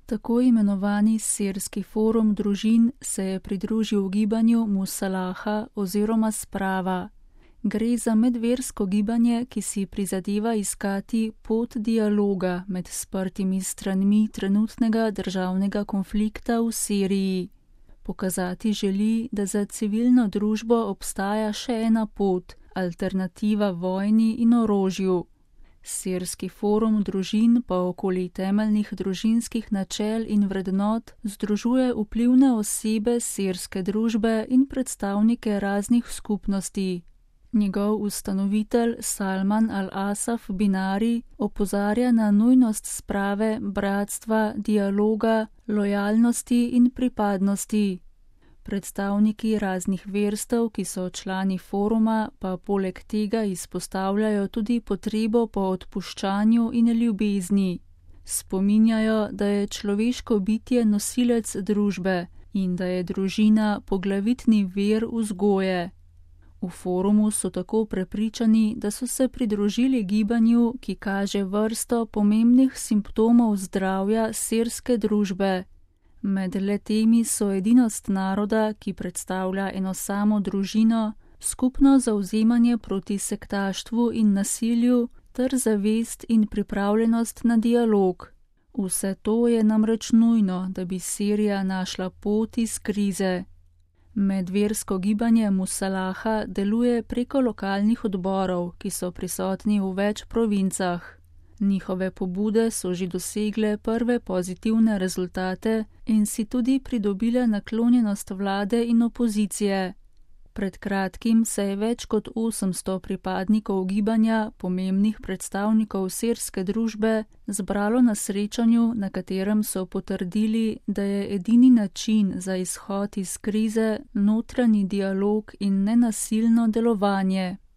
Tako imenovani Sirski forum družin se je pridružil gibanju Musalaha oziroma Sprava. Gre za medversko gibanje, ki si prizadeva iskati pot dialoga med sprtimi stranmi trenutnega državnega konflikta v Siriji. Pokazati želi, da za civilno družbo obstaja še ena pot, alternativa vojni in orožju. Sirski forum družin pa okoli temeljnih družinskih načel in vrednot združuje vplivne osebe sirske družbe in predstavnike raznih skupnosti. Njegov ustanovitelj Salman al-Asaf Binari opozarja na nujnost sprave, bratstva, dialoga, lojalnosti in pripadnosti. Predstavniki raznih verstev, ki so člani foruma, pa poleg tega izpostavljajo tudi potrebo po odpuščanju in ljubezni. Spominjajo, da je človeško bitje nosilec družbe in da je družina poglavitni vir vzgoje. V forumu so tako prepričani, da so se pridružili gibanju, ki kaže vrsto pomembnih simptomov zdravja sirske družbe. Med le-temi so edinost naroda, ki predstavlja eno samo družino, skupno zavzemanje proti sektaštvu in nasilju ter zavest in pripravljenost na dialog. Vse to je namreč nujno, da bi Sirija našla pot iz krize. Medversko gibanje Musalaha deluje preko lokalnih odborov, ki so prisotni v več provincah. Njihove pobude so že dosegle prve pozitivne rezultate in si tudi pridobile naklonjenost vlade in opozicije. Pred kratkim se je več kot 800 pripadnikov gibanja, pomembnih predstavnikov sirske družbe, zbralo na srečanju, na katerem so potrdili, da je edini način za izhod iz krize notranji dialog in nenasilno delovanje.